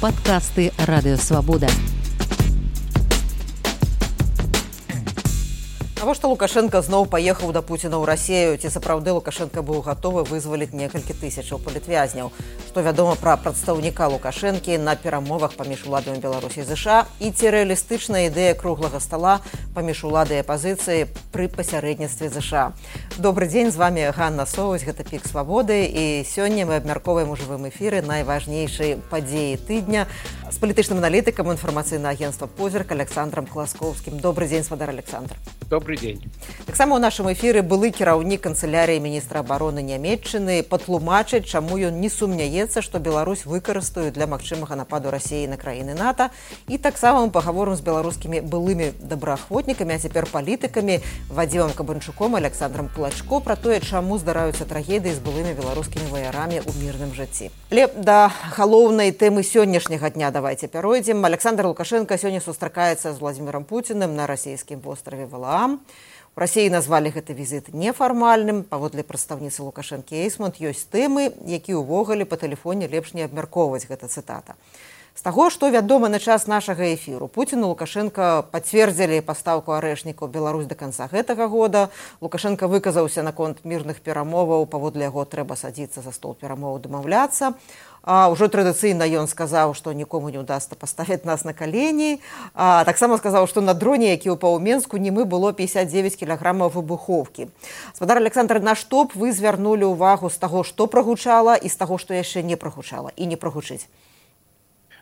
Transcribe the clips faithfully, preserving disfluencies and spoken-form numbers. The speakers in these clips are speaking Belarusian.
Падкасты Радыёвабода. Навошта Лукашенко зноў паехаў да Пуціна ў Расію? Ці сапраўды Лукашенко быў гатовы вызваліць некалькі тысячаў палітвязняў? Што вядома пра прадстаўніка Лукашэнкі на перамовах паміж уладамі Беларусі і ЗША? І ці рэалістычная ідэя круглага стала паміж уладай і апазіцыяй пры пасярэдніцтве ЗША? Добры дзень, з вами Ганна Соваць, гэта Пік Свабоды, і сёння мы абмяркоўваем у жывым эфіры найважнейшыя падзеі тыдня з палітычным аналітыкам інфармацыйнага агенцтва «Позірк» Александром Класкоўскім. Добры дзень, спадар Александр. Добрый день. Таксама ў нашым эфіры былы кіраўнік канцылярыі міністра абароны Нямецчыны патлумачыць, чаму ён не сумняецца, што Беларусь выкарыстаюць для магчымага нападу Расіі на краіны НАТО. І таксама мы пагаворым з беларускімі былымі добраахвотнікамі, а цяпер палітыкамі Вадзімам Кабанчуком, Александром Кулачко пра тое, чаму здараюцца трагедыі з былымі беларускімі ваярамі ў мірным жыцці. Але да галоўнай тэмы сённяшняга дня давайте пяройдзем. Александр Лукашенко сёння сустракаецца з Владзімірам Пуціным на расійскім востраве Валаам. У Расіі назвалі гэты візіт нефармальным. Паводле прадстаўніцы Лукашэнкі Эйсмонт ёсць тэмы, які ўвогуле па тэлефоне лепш не абмяркоўваць, гэта цытата. З таго, што вядома на час нашага эфіру, Пуцін і Лукашенко пацвердзілі пастаўку арэшнікаў Беларусь да канца гэтага года. Лукашенко выказаўся наконт мірных перамоваў, паводле яго трэба садзіцца за стол перамоваў, дамаўляцца. А ўжо традыцыйна ён сказаў, што нікому не ўдасца паставіць нас на калені. А таксама сказаў, што на дроне, які ўпаў у Менску, німы было пятьдесят девять кілаграмаў выбухоўкі. Спадар Александр, на што б вы звярнулі ўвагу з таго, што прагучала, і з таго, што яшчэ не прагучала і не прагучыць?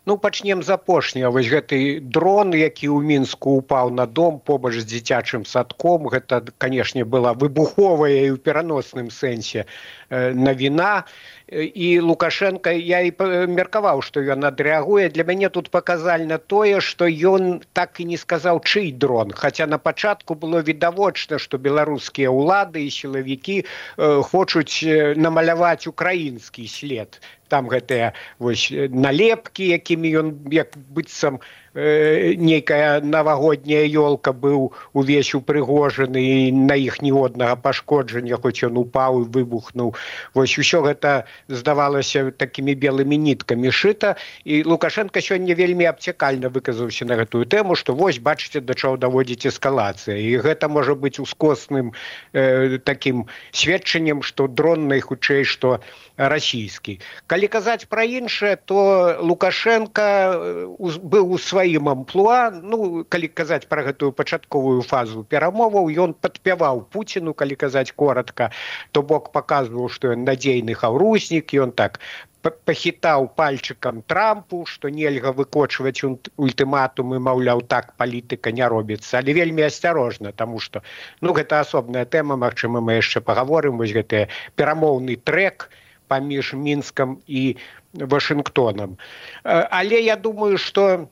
Ну, пачнем з апошняга. Вось гэты дрон, які ў Мінску упаў на дом побач з дзіцячым садком, гэта, канешне, была выбуховая і ў пераносным сэнсе навіна. І Лукашенко, я і меркаваў, што ён адрэагуе. Для мяне тут паказальна тое, што ён так і не сказаў, чый дрон. Хаця на пачатку было відавочна, што беларускія ўлады і сілавікі хочуць намаляваць украінскі след. Там гэтыя вось налепкі, якімі ён як быццам э, нейкая навагодняя ёлка быў увесь упрыгожаны, і на іх ніводнага пашкоджання, хоць ён упаў і выбухнуў. Вось усё гэта здавалася такімі белымі ніткамі шыта, і Лукашенко сёння вельмі абцякальна выказаўся на гэтую тэму, што вось бачыце, да чаго даводзіць эскалацыя. І гэта можа быць ускосным э, такім сведчаннем, што дрон найхутчэй, што расійскі. Калі казаць пра іншае, то Лукашенко быў у сваім амплуа. Ну, калі казаць пра гэтую пачатковую фазу перамоваў, ён падпяваў Пуціну, калі казаць коратка, то бок паказваў, што ён надзейны хаўруснік, ён так пахітаў пальчыкам Трампу, што нельга выкочваць ультыматумы, маўляў, так палітыка не робіцца, але вельмі асцярожна, таму што, ну, гэта асобная тэма, магчыма, мы яшчэ пагаворым, вось гэты перамоўны трэк паміж Мінскам і Вашынгтонам. Але я думаю, што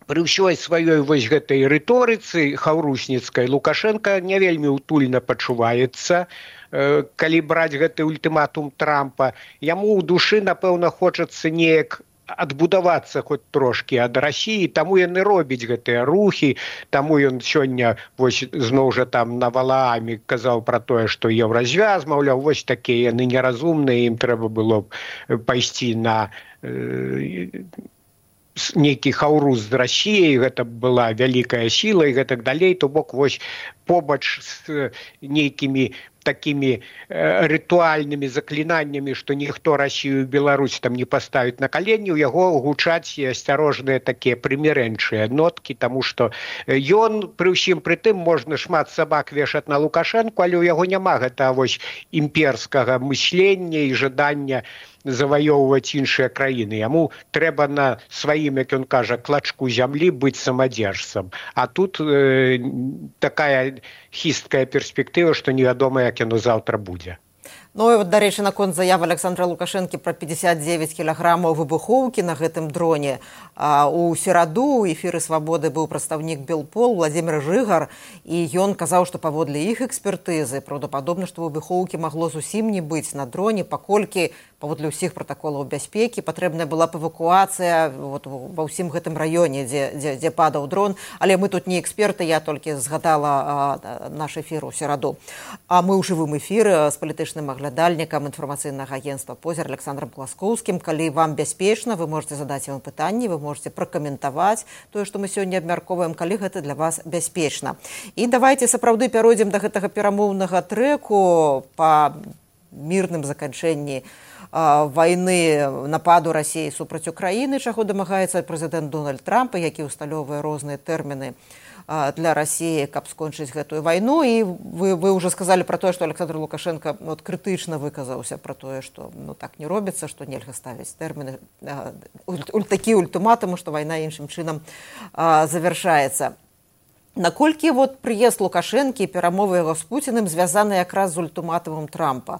пры ўсёй сваёй вось гэтай рыторыцы хаўрусніцкай Лукашенко не вельмі утульна пачуваецца, калі браць гэты ультыматум Трампа. Яму ў душы, напэўна, хочацца неяк адбудавацца хоць трошкі ад Расіі, таму яны робяць гэтыя рухі, таму ён сёння вось зноў жа там на Валааме казаў пра тое, што еўразвяз, маўляў, вось такія яны неразумныя, ім трэба было б пайсці на э, нейкі хаўрус з Расіяй, гэта была вялікая сіла і гэтак далей, то бок вось побач з нейкімі такімі э, рытуальнымі заклінаннямі, што ніхто Расію і Беларусь там не паставіць на калені, у яго гучаць асцярожныя такія прымірэнчыя ноткі, таму што ён, пры ўсім пры тым, можна шмат сабак вешаць на Лукашэнку, але ў яго няма гэтага вось імперскага мыслення і жадання заваёўваць іншыя краіны. Яму трэба на сваім, як ён кажа, клачку зямлі быць самадзержцам. А тут э, такая хісткая перспектыва, што невядома, як яно заўтра будзе. Ну і от, дарэчы, наконт заявы Александра Лукашэнкі пра пятьдесят девять кілаграмаў выбухоўкі на гэтым дроне. А, у сераду ў эфіры «Свабоды» быў прадстаўнік Белпол Владзімір Жыгар, і ён казаў, што паводле іх экспертызы праўдападобна, што выбухоўкі магло зусім не быць на дроне, паколькі паводле ўсіх пратаколаў бяспекі патрэбная была б эвакуацыя вот, ва ўсім гэтым раёне, дзе, дзе, дзе падаў дрон. Але мы тут не эксперты, я толькі згадала а, наш эфір у сераду. А мы ў жывым эфіры з палітычным спаглядальнікам інфармацыйнага агентства «Позір» Александром Класкоўскім. Калі вам бяспечна, вы можете задаць яму пытанні, вы можете пракаментаваць тое, што мы сёння абмяркоўваем, калі гэта для вас бяспечна. І давайте сапраўды пяройдзем да гэтага перамоўнага трэку па мірным заканчэнні войны, нападу России супраць Украины, чаго дамагаецца прэзідэнт Дональд Трамп, які усталёўвае розныя тэрміны для России, каб скончыць гэтую войну. И вы, вы уже сказали про то, что Александр Лукашенко вот, крытычна выказаўся про то, что ну, так не робіцца, что нельга ставіць тэрміны, уль, такі ультыматумы, что война іншым чынам завершаецца. Наколькі вот прыезд Лукашэнкі і перамовы яго з Пуціным звязаны якраз з ультыматумам Трампа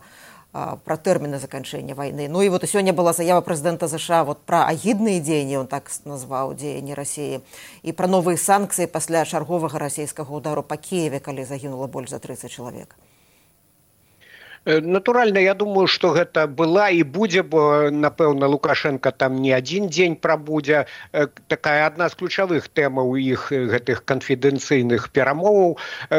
про тэрміны заканчэння войны. Ну и вот сегодня была заява президента США вот про агідныя дзеянні, он так назваў дзеянні России, и про новые санкции пасля чарговага расійскага удару по Киеве, калі загінула больш за тридцать человек. Натуральна, я думаю, што гэта была і будзе, бо, напэўна, Лукашенко там не адзін дзень прабудзе. Такая адна з ключавых тэмаў іх гэтых канфідэнцыйных перамоваў.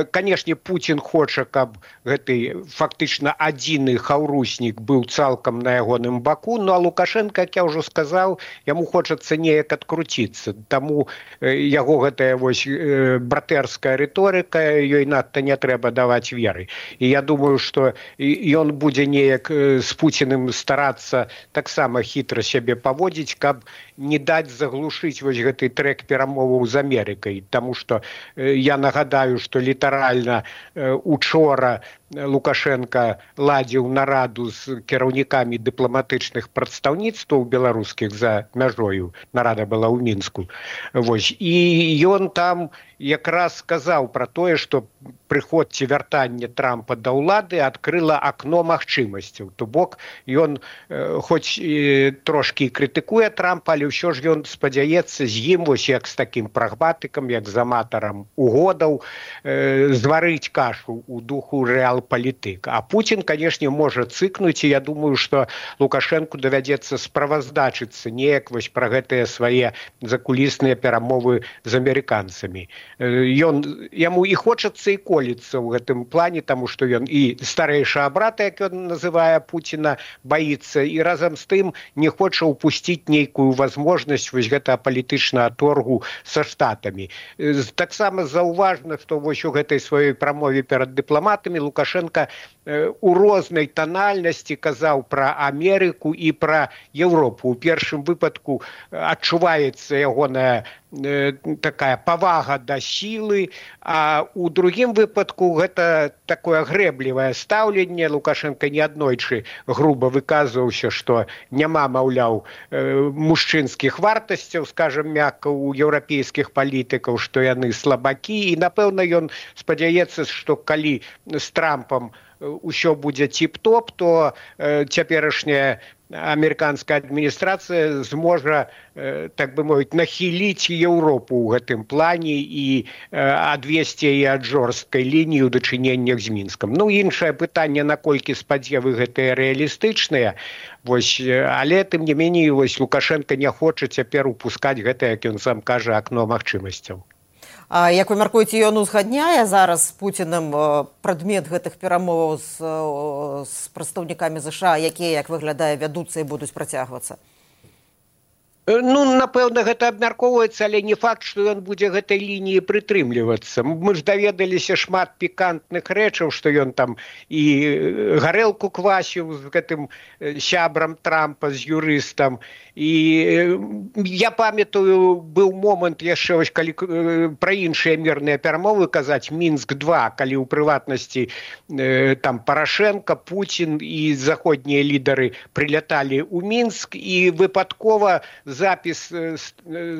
Канешне, Пуцін хоча, каб гэты фактычна адзіны хаўруснік быў цалкам на ягоным баку, ну а Лукашенко, як я ўжо сказаў, яму хочацца неяк адкруціцца. Таму яго гэтая вось братэрская рыторыка, ёй надта не трэба даваць веры. І я думаю, што ён будзе неяк з Пуціным старацца таксама хітра сябе паводзіць, каб не даць заглушыць вось гэты трэк перамоваў з Амерыкай. Таму што я нагадаю, што літаральна учора Лукашенко ладзіў нараду з кіраўнікамі дыпламатычных прадстаўніцтваў беларускіх за мяжою. Нарада была ў Мінску. Вось. І ён там якраз сказаў пра тое, што прыход ці вяртанне Трампа да ўлады адкрыла акно магчымасцяў. То бок ён хоць трошкі крытыкуе Трампа, але ўсё ж ён спадзяецца з ім, вось як з такім прагматыкам, як з аматарам угодаў, зварыць кашу ў духу рэал-палітык. А Пуцін, канешне, можа цыкнуць, і я думаю, што Лукашэнку давядзецца справаздачыцца неяк вось пра гэтыя свае закулісныя перамовы з амерыканцамі. Ён, яму і хочацца, і коліцца ў гэтым плане, таму што ён і старэйшага брата, як ён называе Пуціна, баіцца, і разам з тым не хоча ўпусціць нейкую возможнасць вось гэтага палітычнага торгу са штатамі. Таксама заўважна, што вось у гэтай сваёй прамове перад дыпламатамі Лукашенко у рознай танальнасці казаў пра Амерыку і пра Еўропу. У першым выпадку адчуваецца ягоная такая павага да сілы, а у другім выпадку гэта такое грэблівае стаўленне. Лукашенко неаднойчы груба выказваўся, што няма, маўляў, мужчынскіх вартасцяў, скажам мякка, у еўрапейскіх палітыкаў, што яны слабакі, і напэўна ён спадзяецца, што калі з Трампам усё будзе ціп-топ, то цяперашняя амерыканская адміністрацыя зможа, так бы мовіць, нахіліць Еўропу ў гэтым плане і адвесці яе ад жорсткай лініі ў дачыненнях з Мінскам. Ну, іншае пытанне, наколькі спадзевы гэтыя рэалістычныя, вось, але, тым не меней, вось, Лукашенко не хоча цяпер упускаць гэта, як ён сам кажа, акно магчымасцяў. А як вы мяркуеце, ён узгадняе зараз з Пуцінам прадмет гэтых перамоваў з, з прадстаўнікамі ЗША, якія, як выглядае, вядуцца і будуць працягвацца? Ну, напэўна, гэта абмяркоўваецца, але не факт, што ён будзе гэтай лініі прытрымлівацца. Мы ж даведаліся шмат пікантных рэчаў, што ён там і гарэлку квасіў з гэтым сябрам Трампа, з юрыстам. І я памятаю, быў момант яшчэ, вось, калі пра іншыя мірныя перамовы казаць, Мінск два, калі ў прыватнасці там Парашенко, Пуцін і заходнія лідары прыляталі ў Мінск, і выпадкова запіс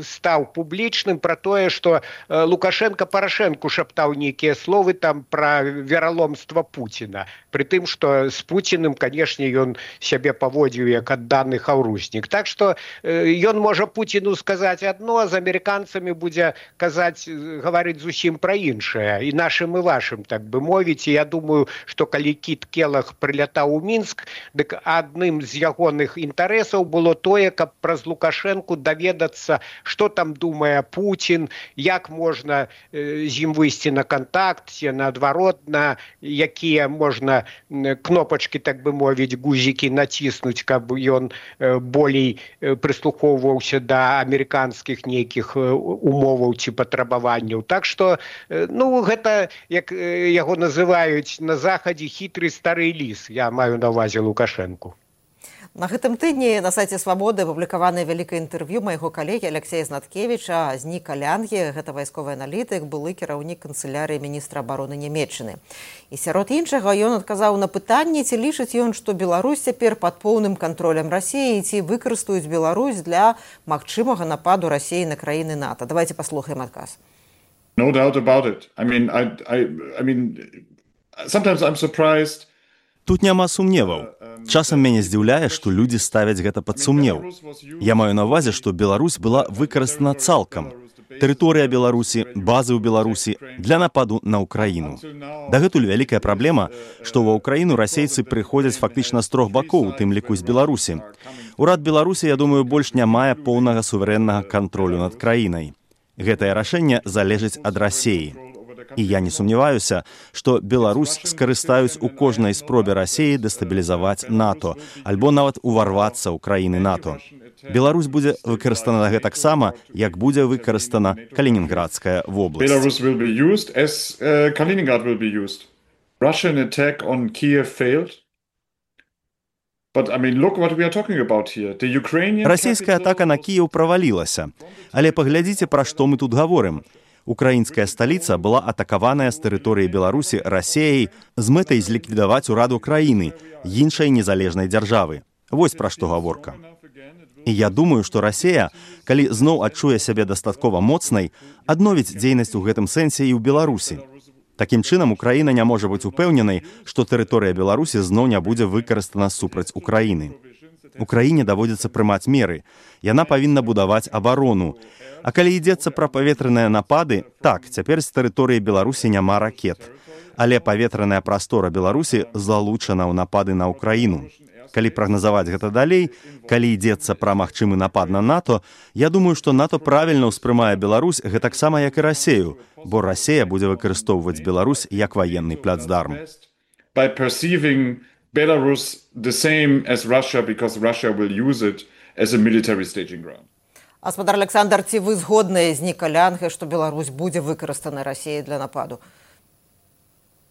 стаў публічным пра тое, што Лукашенко Парашенку шаптаў нейкія словы там пра вераломства Пуціна. Пры тым, што з Пуціным, канешне, ён сябе паводзіў як адданы хаўруснік. Так што ён можа Пуціну сказаць адно, а з амерыканцамі будзе казаць, гаварыць зусім пра іншае. І нашым, і вашым, так бы мовіць. І я думаю, што калі Кіт Келах прылятаў у Мінск, дык адным з ягоных інтарэсаў было тое, каб праз Лукашенко Лукашенку даведацца, што там думае Путін, як можна з ім выйсці на кантакт, наадварот, на якія можна кнопачкі, так бы мовіць, гузікі націснуць, каб ён болей прыслухоўваўся да амерыканскіх нейкіх умоваў ці патрабаванняў. Так што, ну, гэта, як яго называюць на захадзе, хітры стары ліс. Я маю на ўвазе Лукашенку. На гэтым тыдні на сайце «Свабоды» апублікаванае вялікае інтэрв'ю майго калегі Алексея Знаткевіча з Ніка Лянге, гэта вайсковы аналітык, былы кіраўнік канцылярыі міністра абароны Нямецчыны. І сярод іншага ён адказаў на пытанне, ці лічыць ён, што Беларусь цяпер пад поўным кантролем Расіі, ці выкарыстаюць Беларусь для магчымага нападу Расіі на краіны НАТО. Давайте паслухаем адказ. No doubt about it. I mean, I, I, I mean, sometimes I'm surprised. Тут няма сумневаў. Часам мяне здзіўляе, што людзі ставяць гэта пад сумнеў. Я маю на ўвазе, што Беларусь была выкарыстана цалкам. Тэрыторыя Беларусі, базы ў Беларусі для нападу на Ўкраіну. Дагэтуль вялікая праблема, што ва Ўкраіну расейцы прыходзяць фактычна з трох бакоў, у тым ліку з Беларусі. Урад Беларусі, я думаю, больш не мае поўнага суверэннага кантролю над краінай. Гэтае рашэнне залежыць ад Расіі. І я не сумняваюся, што Беларусь скарыстаюць у кожнай спробе Расіі дэстабілізаваць НАТО, альбо нават уварвацца ў краіны НАТО. Беларусь будзе выкарыстана гэтаксама, як будзе выкарыстана Калінінградская вобласць. Belarus will be used as uh, Kaliningrad will be used. Russian attack on Kiev failed. But I mean, look what we are talking about here. The Ukrainian Расійская атака на Кіеў правалілася. Але паглядзіце, пра што мы тут гаворым. Украінская сталіца была атакаваная з тэрыторыі Беларусі Расіяй з мэтай зліквідаваць ураду краіны, іншай незалежнай дзяржавы. Вось пра што гаворка. І я думаю, што Расія, калі зноў адчуе сябе дастаткова моцнай, адновіць дзейнасць у гэтым сэнсе і ў Беларусі. Такім чынам, Украіна не можа быць упэўненай, што тэрыторыя Беларусі зноў не будзе выкарыстана супраць Украіны. Украіне даводзіцца прымаць меры. Яна павінна будаваць абарону. А калі ідзецца пра паветраныя напады, так, цяпер з тэрыторыі Беларусі няма ракет. Але паветраная прастора Беларусі залучана ў напады на Украіну. Калі прагназаваць гэта далей, калі ідзецца пра магчымы напад на НАТО, я думаю, што НАТО правільна ўспрымае Беларусь гэтаксама, як і Расею, бо Расія будзе выкарыстоўваць Беларусь як ваенны плацдарм. By perceiving Belarus the same as Russia, because Russia will use it as a military staging ground. Гаспадар Александр, ці вы згодныя з Ніка Лянге, што Беларусь будзе выкарыстана Расіяй для нападу?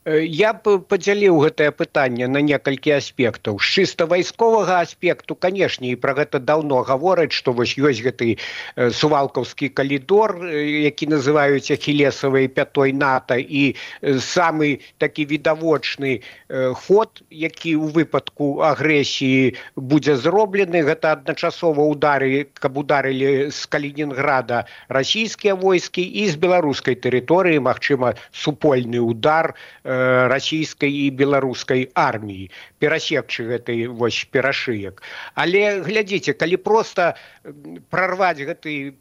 Я б падзяліў гэтае пытанне на некалькі аспектаў. З чыста вайсковага аспекту, канешне, і пра гэта даўно гавораць, што вось ёсць гэты сувалкаўскі калідор, які называюць ахілесавай пятой НАТО, і самы такі відавочны ход, які ў выпадку агрэсіі будзе зроблены, гэта адначасова удары, каб ударылі з Калінінграда расійскія войскі і з беларускай тэрыторыі, магчыма, супольны удар расійскай і беларускай арміі, перасекчы гэтай вось перашыек. Але глядзіце, калі проста прарваць гэты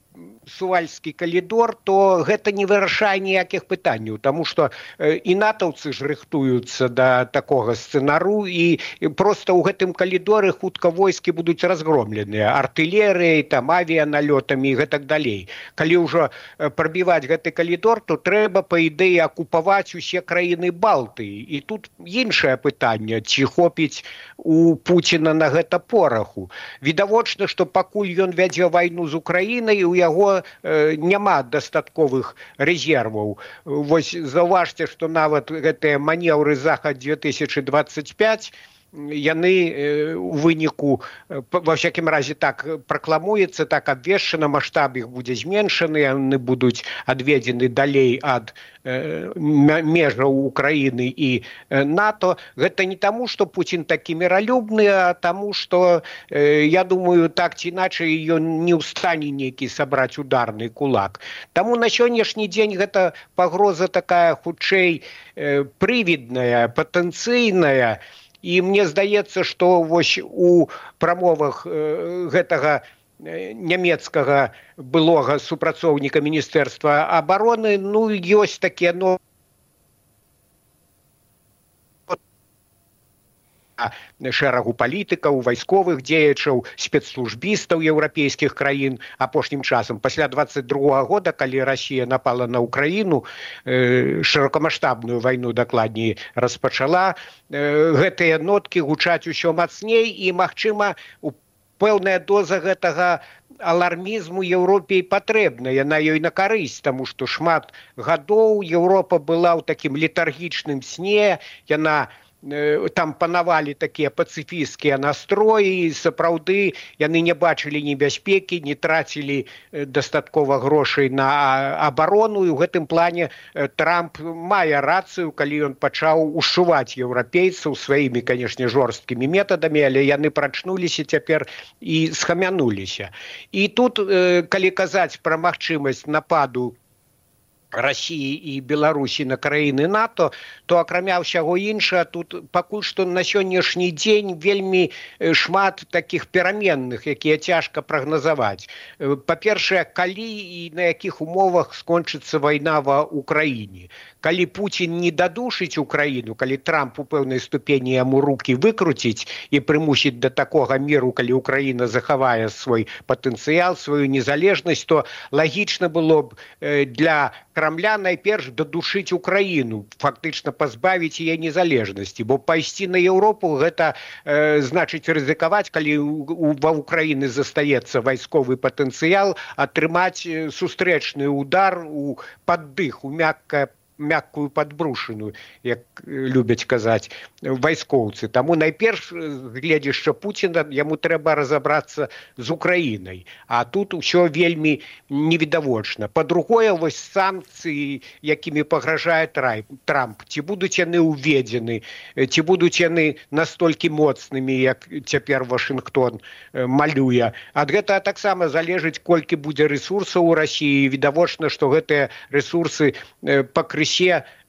сувальскі калідор, то гэта не вырашае ніякіх пытанняў, таму што і натаўцы ж рыхтуюцца да такога сцэнару, і проста ў гэтым калідоры хутка войскі будуць разгромленыя артылерыяй, там авіяналётамі і гэтак далей. Калі ўжо прабіваць гэты калідор, то трэба, па ідэі, акупаваць усе краіны Балтыі. І тут іншае пытанне, ці хопіць у Пуціна на гэта пораху. Відавочна, што пакуль ён вядзе вайну з Украінай, у яго э, няма дастатковых рэзерваў. Вось заўважце, што нават гэтыя манеўры Захад две тысячи двадцать пять яны у выніку, ва всякім разе так пракламуецца, так абвешчана, маштаб іх будзе зменшаны, яны будуць адведзены далей ад э, межаў Украіны і э, НАТО. Гэта не таму, што Пуцін такі міралюбны, а таму, што, э, я думаю, так ці іначай ён не ў стане нейкі сабраць ударны кулак. Таму на сённяшні дзень гэта пагроза такая хутчэй э, прывідная, патэнцыйная. І мне здаецца, што вось у прамовах э, гэтага нямецкага былога супрацоўніка Міністэрства абароны, ну, ёсць такія, ну, шэрагу палітыкаў, вайсковых дзеячаў, спецслужбістаў еўрапейскіх краін апошнім часам. Пасля двадцать другога года, калі Расія напала на Украіну, шырокамаштабную вайну, дакладней, распачала, гэтыя ноткі гучаць усё мацней, і, магчыма, пэўная доза гэтага алармізму Еўропе патрэбна, яна ёй на карысць, таму што шмат гадоў Еўропа была ў такім летаргічным сне, яна там панавалі такія пацыфісцкія настроі, сапраўды яны не бачылі небяспекі, не трацілі дастаткова грошай на абарону, і ў гэтым плане Трамп мае рацыю, калі ён пачаў ушчуваць еўрапейцаў сваімі, канешне, жорсткімі метадамі, але яны прачнуліся цяпер і схамянуліся. І тут, калі казаць пра магчымасць нападу Расіі і Беларусі на краіны НАТО, то акрамя ўсяго іншага, тут пакуль што на сённяшні дзень вельмі шмат такіх пераменных, якія цяжка прагназаваць. Па-першае, калі і на якіх умовах скончыцца вайна ва Ўкраіне. Калі Пуцін не дадушыць Украіну, калі Трамп у пэўнай ступені яму рукі выкруціць і прымусіць да такога міру, калі Украіна захавае свой патэнцыял, сваю незалежнасць, то лагічна было б для Крамля найперш дадушыць Украіну, фактычна пазбавіць яе незалежнасці, бо пайсці на Еўропу гэта э, значыць рызыкаваць, калі ва Ўкраіны застаецца вайсковы патэнцыял, атрымаць сустрэчны удар у паддых, у мяккае мяккую падбрушыну, як любяць казаць вайскоўцы. Таму найперш, гледзячы Пуціна, яму трэба разабрацца з Украінай. А тут усё вельмі невідавочна. Па-другое, вось санкцыі, якімі пагражае Трамп, ці будуць яны ўведзены, ці будуць яны настолькі моцнымі, як цяпер Вашынгтон малюе. Ад гэтага таксама залежыць, колькі будзе рэсурсаў у Расіі. Відавочна, што гэтыя рэсурсы пакрысе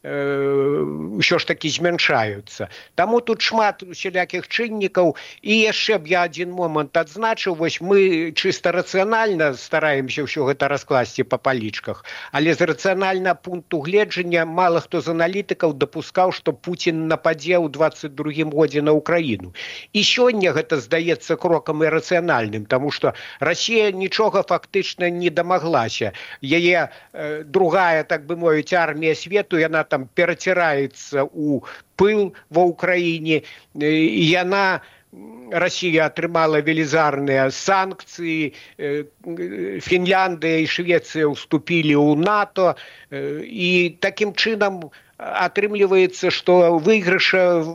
ўсё ж такі змяншаюцца. Таму тут шмат усялякіх чыннікаў. І яшчэ б я адзін момант адзначыў, вось мы чыста рацыянальна стараемся ўсё гэта раскласці па палічках, але з рацыянальнага пункту гледжання мала хто з аналітыкаў дапускаў, што Пуцін нападзе ў двадцать другім годзе на Украіну. І сёння гэта здаецца крокам ірацыянальным, таму што Расія нічога фактычна не дамаглася. Яе э, другая, так бы мовіць, армія свету, яна там пераціраецца ў пыл ва Ўкраіне, і яна, Расія атрымала велізарныя санкцыі, Фінляндыя і Швецыя ўступілі ў НАТО, і такім чынам атрымліваецца, што выйгрыша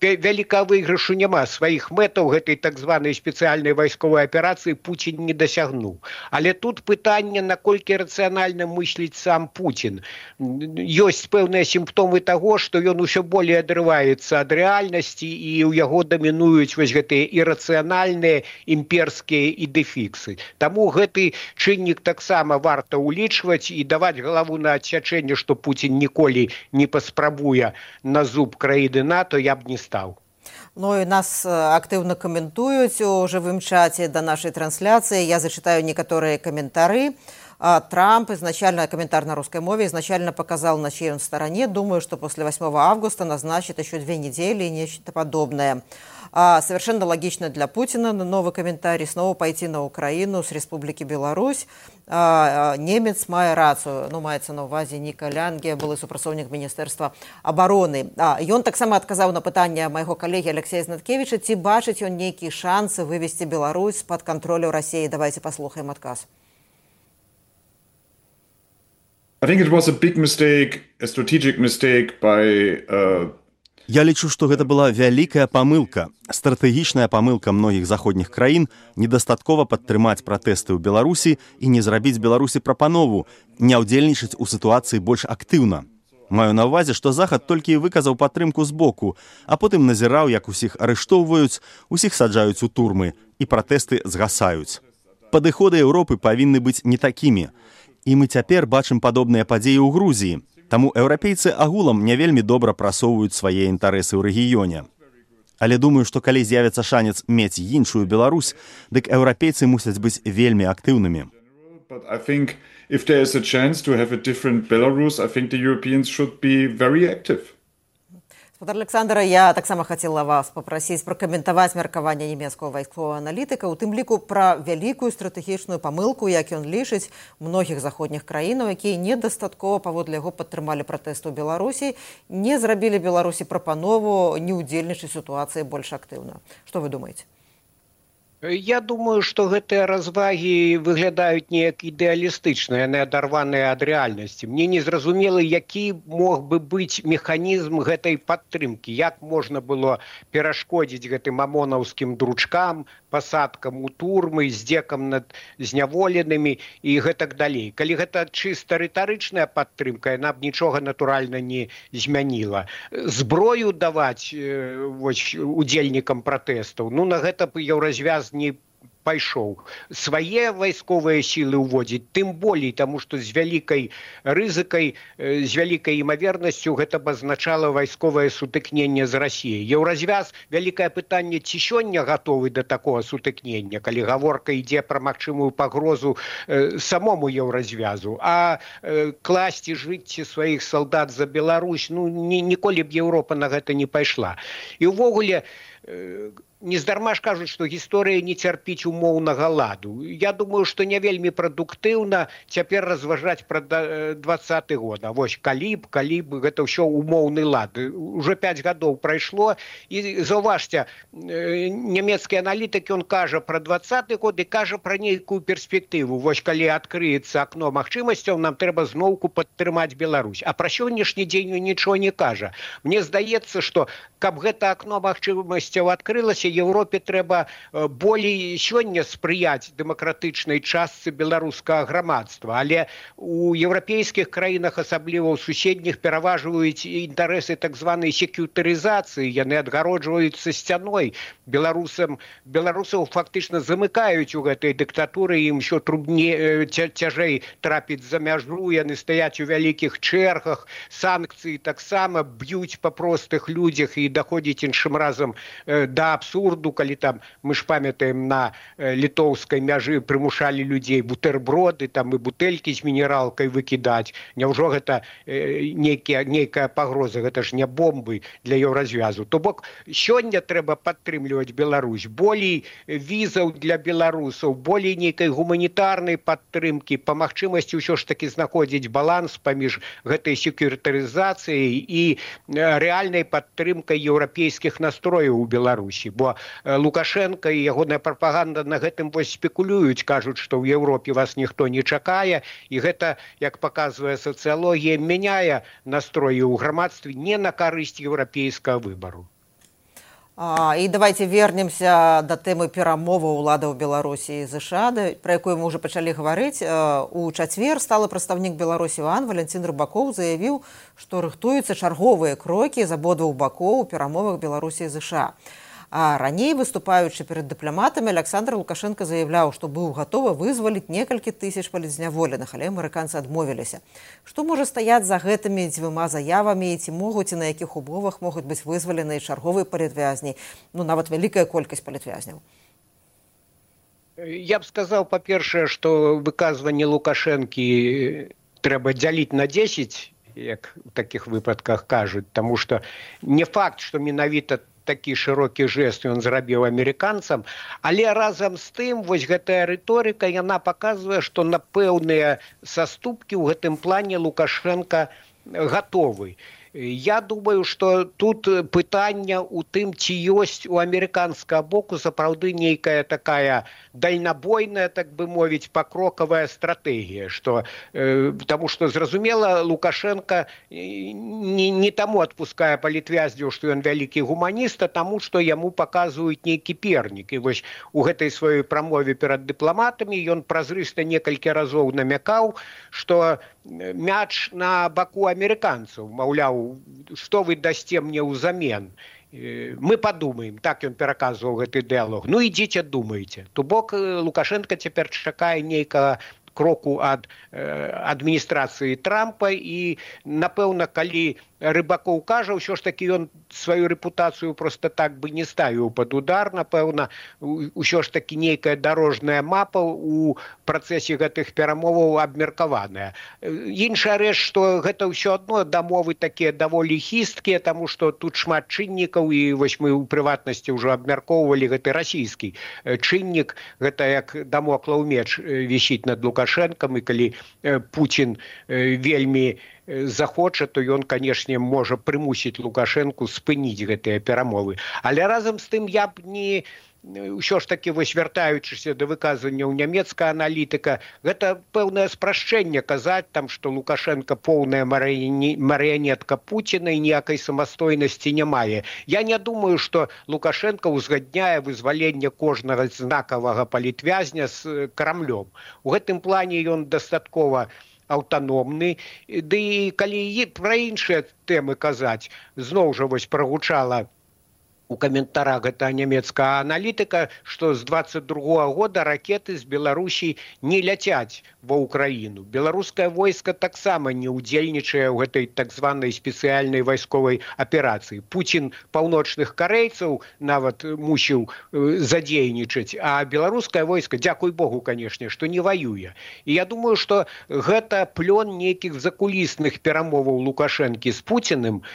вялікага выйгрышу няма. Сваіх мэтаў гэтай так званай спецыяльнай вайсковай аперацыі Пуцін не дасягнуў. Але тут пытанне, наколькі рацыянальна мысліць сам Пуцін. Ёсць пэўныя сімптомы таго, што ён усё болей адрываецца ад рэальнасці, і ў яго дамінуюць вось гэтыя ірацыянальныя імперскія ідэфіксы. Таму гэты чыннік таксама варта ўлічваць і даваць галаву на адсячэнне, што Пуцін ніколі не паспрабуе на зуб краіны НАТО, я б не стаў. Ну і нас актыўна каментуюць у жывым чаце да нашай трансляцыі. Я зачитаю некаторыя каментары. Трамп, изначально комментарий на русской мове, изначально показал, на чьей он стороне. Думаю, что после восьмого августа назначит еще две недели и нечто подобное. А совершенно логично для Путина, новый комментарий, снова пойти на Украину с Республики Беларусь. А, немец мае рацию, ну, маецца на увазе Ніка Лянге, былы супрацоўнік Міністэрства абароны. А, ён таксама адказаў на пытанне майго калегі Алексея Знаткевіча, ці бачыць ён нейкія шансы вывесці Беларусь з-пад кантролю Расіі. Давайте паслухаем адказ. I think it was a big mistake, a strategic mistake by uh... Я лічу, што гэта была вялікая памылка, стратэгічная памылка многіх заходніх краін недастаткова падтрымаць пратэсты ў Беларусі і не зрабіць Беларусі прапанову, не ўдзельнічаць у сітуацыі больш актыўна. Маю на ўвазе, што Захад толькі і выказаў падтрымку з боку, а потым назіраў, як усіх арыштоўваюць, усіх саджаюць у турмы, і пратэсты згасаюць. Падыходы Еўропы павінны быць не такімі. І мы цяпер бачым падобныя падзеі ў Грузіі. Таму еўрапейцы агулам не вельмі добра прасоўваюць свае інтарэсы ў рэгіёне. Але думаю, што калі з'явіцца шанец мець іншую Беларусь, дык еўрапейцы мусяць быць вельмі актыўнымі. But I think if there is a chance to have a different Belarus, I think the Europeans should be very active. Гаспадар Александра, я таксама хацела вас папрасіць пракаментаваць меркаванне нямецкага вайсковага аналітыка, у тым ліку пра вялікую стратэгічную памылку, як ён лічыць многіх заходніх краінаў, якія недастаткова паводле яго падтрымалі пратэсты ў Беларусі, не зрабілі Беларусі прапанову не ўдзельнічаць у сітуацыі больш актыўна. Што вы думаеце? Я думаю, што гэтыя развагі выглядаюць неяк ідэалістычна, яны адарваныя ад рэальнасці. Мне не зразумела, які мог бы быць механізм гэтай падтрымкі, як можна было перашкодзіць гэтым амонаўскім дручкам, пасадкам у турмы, здзекам над зняволенымі і гэтак далей. Калі гэта чыста рытарычная падтрымка, яна б нічога натуральна не змяніла. Зброю даваць вось, удзельнікам пратэстаў, ну на гэта б еўразвяз не пайшоў. Свае вайсковыя сілы ўводзіць, тым болей, таму што з вялікай рызыкай, з вялікай імавернасцю гэта б азначала вайсковае сутыкненне з Расіяй. Еўразвяз, вялікае пытанне, ці сёння гатовы да такога сутыкнення, калі гаворка ідзе пра магчымую пагрозу э, самому еўразвязу, а э, класці жыцці сваіх салдат за Беларусь, ну ні, ніколі б Еўропа на гэта не пайшла. І ўвогуле, э, нездарма ж кажуць, што гісторыя не цярпіць умоўнага ладу. Я думаю, што не вельмі прадуктыўна цяпер разважаць пра дваццаты год. А вось калі б, калі б гэта ўсё умоўны лад. Уже пяць гадоў прайшло, і заўважце, нямецкі аналітык, ён кажа пра дваццаты год і кажа пра нейкую перспектыву. Вось калі адкрыецца акно магчымасцяў, нам трэба зноўку падтрымаць Беларусь. А пра сённяшні дзень ён нічого не кажа. Мне здаецца, што каб гэта акно магчымасцяў адкрылася, Еўропе трэба болей сёння спрыяць дэмакратычнай частцы беларускага грамадства, але у еўрапейскіх краінах, асабліва ў суседніх, пераважваюць інтарэсы так званай секьютарызацыі, яны адгароджваюцца сцяной. Беларусам, беларусаў фактычна замыкаюць у гэтай дыктатуры, ім усё трудней, цяжэй трапіць за мяжу, яны стаяць у вялікіх чэргах, санкцыі таксама б'юць па простых людзях і даходзіць іншым разам да абсурду. Калі там, мы ж памятаем, на літоўскай мяжы прымушалі людзей бутерброды, там і бутэлькі з мінералкай выкідаць. Няўжо гэта нейкая, нейкая пагроза, гэта ж не бомбы для еўразвязу. То бок, сёння трэба падтрымліваць Беларусь. Болей візаў для беларусаў, болей нейкай гуманітарнай падтрымкі, па магчымасці ўсё ж такі знаходзіць баланс паміж гэтай секьютарызацыяй і рэальнай падтрымкай еўрапейскіх настрояў у Беларусі. Бо Лукашенко і ягоная прапаганда на гэтым вось спекулююць, кажуць, што ў Еўропе вас ніхто не чакае, і гэта, як паказвае сацыялогія, мяняе настроі ў грамадстве не на карысць еўрапейскага выбару. А, і давайте вернемся да тэмы перамоваў уладаў Беларусі і ЗША, пра якую мы ўжо пачалі гаварыць. У чацвер сталы прадстаўнік Беларусі ў АН Валянцін Рыбакоў заявіў, што рыхтуюцца чарговыя крокі з абодвух бакоў у перамовах Беларусі і ЗША. А раней, выступаючы перад дыпламатамі, Александр Лукашенко заявляў, што быў гатовы вызваліць некалькі тысяч палітзняволеных, але амерыканцы адмовіліся. Што можа стаяць за гэтымі дзвюма заявамі, і ці могуць і на якіх умовах могуць быць вызвалены чарговыя палітвязні, ну нават вялікая колькасць палітвязняў? Я б сказаў, па-першае, што выказванне Лукашэнкі трэба дзяліць на дзесяць, як у такіх выпадках кажуць, таму што не факт, што менавіта такі шырокі жэст ён зрабіў амерыканцам, але разам з тым вось гэтая рыторыка, яна паказвае, што на пэўныя саступкі ў гэтым плане Лукашенко гатовы. Я думаю, што тут пытанне ў тым, ці ёсць у амерыканскага боку сапраўды нейкая такая дальнабойная, так бы мовіць, пакрокавая стратэгія, што, э, таму што, зразумела, Лукашенко не, не таму адпускае палітвязняў, што ён вялікі гуманіст, а таму, што яму паказваюць нейкі пернік. І вось у гэтай сваёй прамове перад дыпламатамі ён празрыста некалькі разоў намякаў, што мяч на баку амерыканцаў, маўляў, што вы дасце мне ўзамен? Мы падумаем, так ён пераказваў гэты дыялог. Ну, ідзіце, думайце. То бок Лукашенко цяпер чакае нейкага кроку ад э, адміністрацыі Трампа, і, напэўна, калі Рыбакоў кажа, ўсё ж такі ён сваю рэпутацыю просто так бы не ставіў пад удар, напэўна, ўсё ж такі нейкая дарожная мапа у працэсе гэтых перамоваў абмеркаваная. Іншая рэч, што гэта ўсё адно дамовы такія даволі хісткія, таму што тут шмат чыннікаў, і вось мы ў прыватнасці ўжо абмяркоўвалі гэты расійскі чыннік, гэта як дамоклаў меч вісіць над Лукашэнкам, і калі Пуцін вельмі захоча, то ён, канешне, можа прымусіць Лукашэнку спыніць гэтыя перамовы. Але разам з тым я б не... Усё ж такі, вось вяртаючыся да выказванняў нямецкага аналітыка, гэта пэўнае спрашчэнне казаць там, што Лукашенко поўная марыянетка Пуціна і ніякай самастойнасці не мае. Я не думаю, што Лукашенко ўзгадняе вызваленне кожнага знакавага палітвязня з Крамлём. У гэтым плане ён дастаткова аўтаномны. Ды і калі пра іншыя тэмы казаць, зноў жа вось прагучала у каментарах гэтага нямецкага аналітыка, што з дваццаць другога года ракеты з Беларусі не ляцяць ва ўкраіну. Беларускае войска таксама не ўдзельнічае ў гэтай так званай спецыяльнай вайсковай аперацыі. Пуцін паўночных карэйцаў нават мусіў задзейнічаць, а беларускае войска, дзякуй Богу, канешне, што не ваюе. І я думаю, што гэта плён нейкіх закулісных перамоваў Лукашэнкі з Пуціным.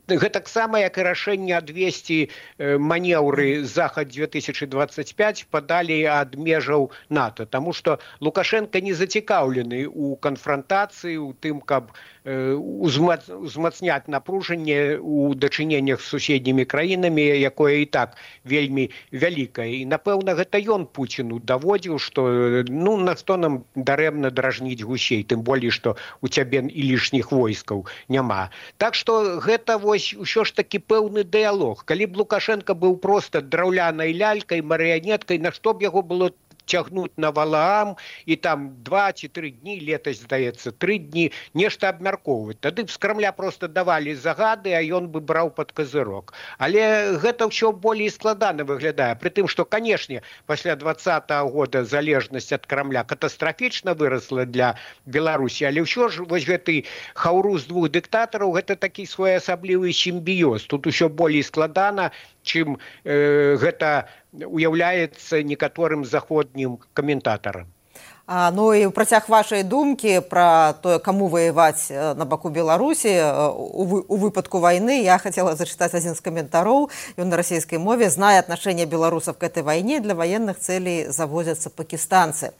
Гэтаксама, як і рашэнне адвесці манеўры захад две тысячи двадцать пять падалі ад межаў НАТО, таму што Лукашенко не зацікаўлены ў канфрантацыі, у тым, каб узмацняць напружанне ў дачыненнях з суседнімі краінамі, якое і так вельмі вялікае. І, напэўна, гэта ён Пуціну даводзіў, што ну, на што нам дарэмна дражніць гусей, тым болей, што у цябе і лішніх войскаў няма. Так што гэта вось усё ж такі пэўны дыялог. Калі б Лукашенко быў проста драўлянай лялькай, марыянеткай, на што б яго было цягнуць на Валаам і там два ці тры дні, летась, здаецца, тры дні, нешта абмяркоўваць. Тады б з Крамля проста давалі загады, а ён бы браў пад казырок. Але гэта ўсё болей складана выглядае. Пры тым, што, канешне, пасля двадцатага года залежнасць ад Крамля катастрафічна вырасла для Беларусі, але ўсё ж вось гэты хаўрус двух дыктатараў, гэта такі своеасаблівы сімбіёз. Тут усё болей складана, чым э, гэта уяўляецца некаторым заходнім каментатарам. А, ну і ў працяг вашай думкі пра тое, каму ваяваць на баку Беларусі у, у выпадку вайны, я хацела зачытаць адзін з каментароў. Ён на расійскай мове: «Зная отношение белорусов к этой войне, для военных целей завозятся пакистанцы».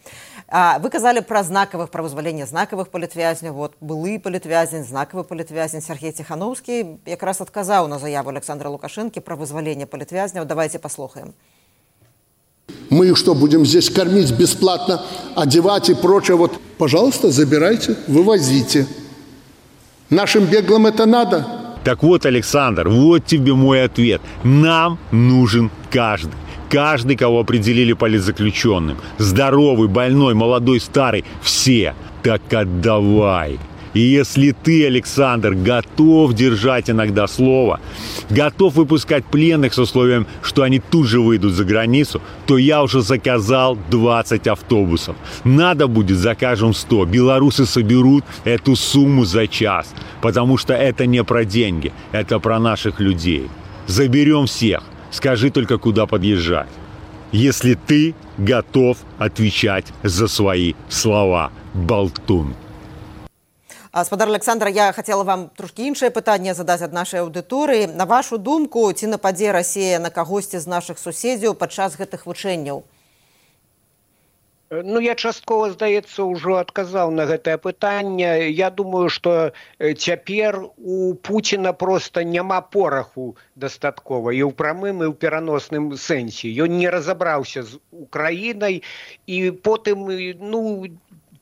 А, вы казалі пра знакавых, пра вызваленне знакавых палітвязняў. Вот былы палітвязень, знакавы палітвязень. Сергей Ціхановскі якраз адказаў на заяву Александра Лукашэнкі пра вызваленне палітвязняў. Давайте послухаем. Мы их что, будем здесь кормить бесплатно, одевать и прочее? Вот, пожалуйста, забирайте, вывозите. Нашим беглым это надо? Так вот, Александр, вот тебе мой ответ. Нам нужен каждый. Каждый, кого определили политзаключенным. Здоровый, больной, молодой, старый. Все. Так отдавай. И если ты, Александр, готов держать иногда слово, готов выпускать пленных с условием, что они тут же выйдут за границу, то я уже заказал двадцать автобусов. Надо будет, закажем сто. Белорусы соберут эту сумму за час, потому что это не про деньги, это про наших людей. Заберем всех. Скажи только, куда подъезжать. Если ты готов отвечать за свои слова, болтун. Спадар Александр, я хацела вам трошкі іншае пытанне задаць ад нашай аўдыторыі. На вашу думку, ці нападзе Расія на кагосьці з нашых суседзяў падчас гэтых вучэнняў? Ну, я часткова, здаецца, ўжо адказаў на гэтае пытанне. Я думаю, што цяпер у Пуціна проста няма пораху дастаткова і ў прамым, і ў пераносным сэнсе. Ён не разабраўся з Украінай, і потым, ну,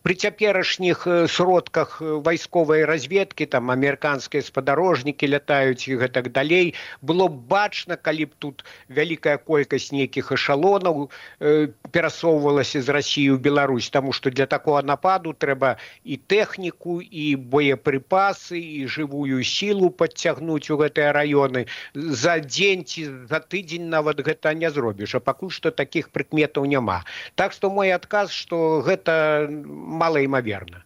при цяперашніх сродках вайсковай разведкі, там амерыканскія спадарожнікі лятаюць і гэтак далей, было б бачна, калі б тут вялікая колькасць нейкіх эшалонаў э, перасоўвалася з Расіі ў Беларусь, таму што для такога нападу трэба і тэхніку, і боепрыпасы, і жывую сілу падцягнуць у гэтыя раёны. За дзень ці за тыдзень нават гэта не зробіш, а пакуль што такіх прыкметаў няма. Так што мой адказ, што гэта малаімаверна.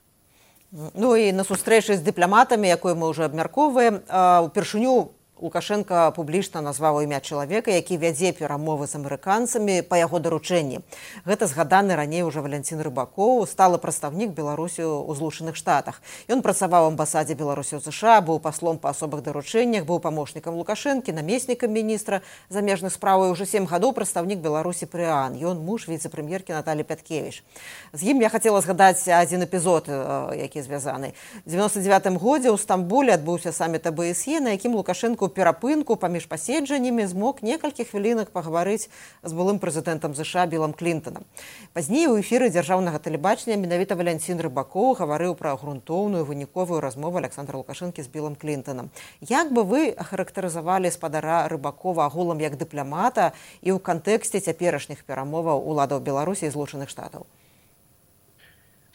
Ну і на сустрэчы з дыпламатамі, якую мы ўжо абмяркоўваем, упершыню Лукашенко публічна назваў імя чалавека, які вядзе перамовы з амерыканцамі па яго даручэнні. Гэта згаданы раней уже Валянцін Рыбакоў, сталы прадстаўнік Беларусі ў Злучаных Штатах. Ён працаваў у амбасадзе Беларусі ў ЗША, быў паслом па асобых даручэннях, быў памочнікам Лукашэнкі, намеснікам міністра замежных спраў і ўжо сем гадоў прадстаўнік Беларусі пры ААН. Ён муж віцэ-прэм'еркі Наталі Пяткевіч. З ім я хацела згадаць адзін эпізод, які звязаны. У дзевяносто дзевятым годзе ў Стамбуле адбыўся саміт А Б С Е, на якім Лукашенко перапынку паміж паседжаннямі змог некалькі хвілінак пагаварыць з былым прэзідэнтам ЗША Білам Клінтонам. Пазней у эфіры дзяржаўнага тэлебачання менавіта Валянцін Рыбакоў гаварыў пра грунтоўную выніковую размову Александра Лукашэнкі з Білам Клінтонам. Як бы вы ахарактарызавалі спадара Рыбакова агулам як дыпламата і ў кантэксце цяперашніх перамоваў уладаў Беларусі і Злучаных Штатаў?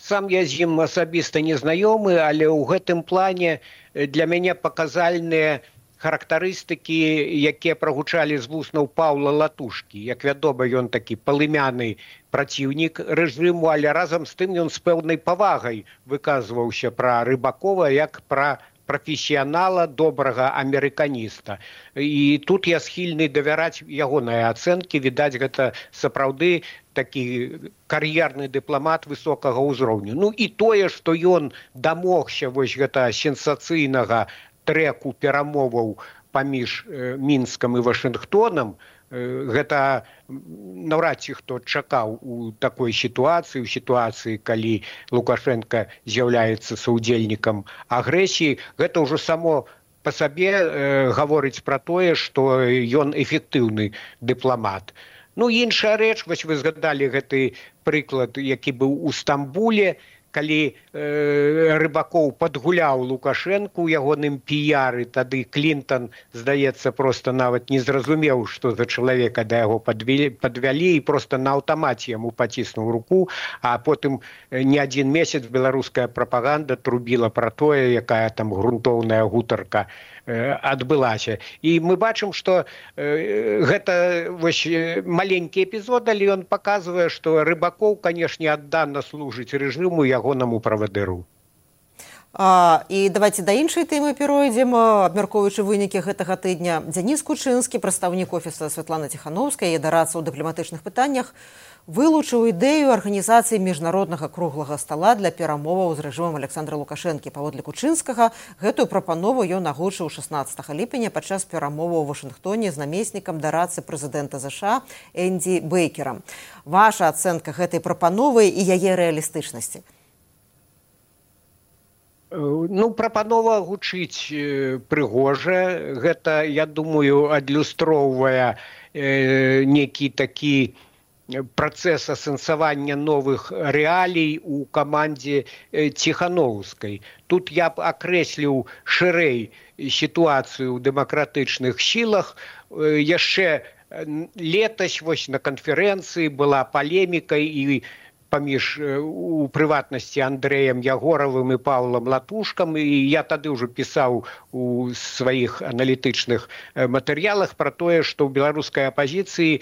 Сам я з ім асабіста не знаёмы, але ў гэтым плане для мяне паказальныя характарыстыкі, якія прагучалі з вуснаў Паўла Латушкі. Як вядома, ён такі палымяны праціўнік рэжыму, але разам з тым ён з пэўнай павагай выказваўся пра Рыбакова як пра прафесіянала, добрага амерыканіста. І тут я схільны давяраць ягоныя ацэнкі. Відаць, гэта сапраўды такі кар'ерны дыпламат высокага ўзроўню. Ну і тое, што ён дамогся вось гэта сенсацыйнага трэку перамоваў паміж Мінскам і Вашынгтонам, гэта наўрад ці хто чакаў у такой сітуацыі, у сітуацыі, калі Лукашенко з'яўляецца саўдзельнікам агрэсіі. Гэта ўжо само па сабе э, гаворыць пра тое, што ён эфектыўны дыпламат. Ну, іншая рэч, вось вы згадалі гэты прыклад, які быў у Стамбуле, калі э, Рыбакоў падгуляў Лукашэнку ў ягоным піяры, тады Клінтон, здаецца, проста нават не зразумеў, што за чалавека да яго падвялі, падвялі і проста на аўтамаце яму паціснуў руку, а потым не адзін месяц беларуская прапаганда трубіла пра тое, якая там грунтоўная гутарка э, адбылася. І мы бачым, што э, гэта вось маленькі эпізод, але ён паказвае, што Рыбакоў, канешне, аддана служыць рэжыму, ягонаму правадыру. А, і давайте да іншай тэмы перайдзем, абмяркоўваючы вынікі гэтага тыдня. Дзяніс Кучынскі, прадстаўнік офіса Святланы Ціхановскай і дараца ў дыпламатычных пытаннях, вылучыў ідэю арганізацыі міжнароднага круглага стала для перамоваў з рэжымам Александра Лукашэнкі. Паводле Кучынскага, гэтую прапанову ён агучыў шаснаццатага ліпеня падчас перамоваў у Вашынгтоне з намеснікам дарацы прэзідэнта ЗША Энді Бейкерам. Ваша ацэнка гэтай прапановы і яе рэалістычнасці? Ну, прапанова гучыць прыгожа. Гэта, я думаю, адлюстроўвае э, некі такі працэс асэнсавання новых рэалій у камандзе Ціхановскай. Тут я б акрэсліў шырэй сітуацыю ў дэмакратычных сілах. Яшчэ летась вось на канферэнцыі была палеміка і паміж у прыватнасці Андрэем Ягоравым і Паўлам Латушкам, і я тады ўжо пісаў у сваіх аналітычных матэрыялах пра тое, што ў беларускай апазіцыі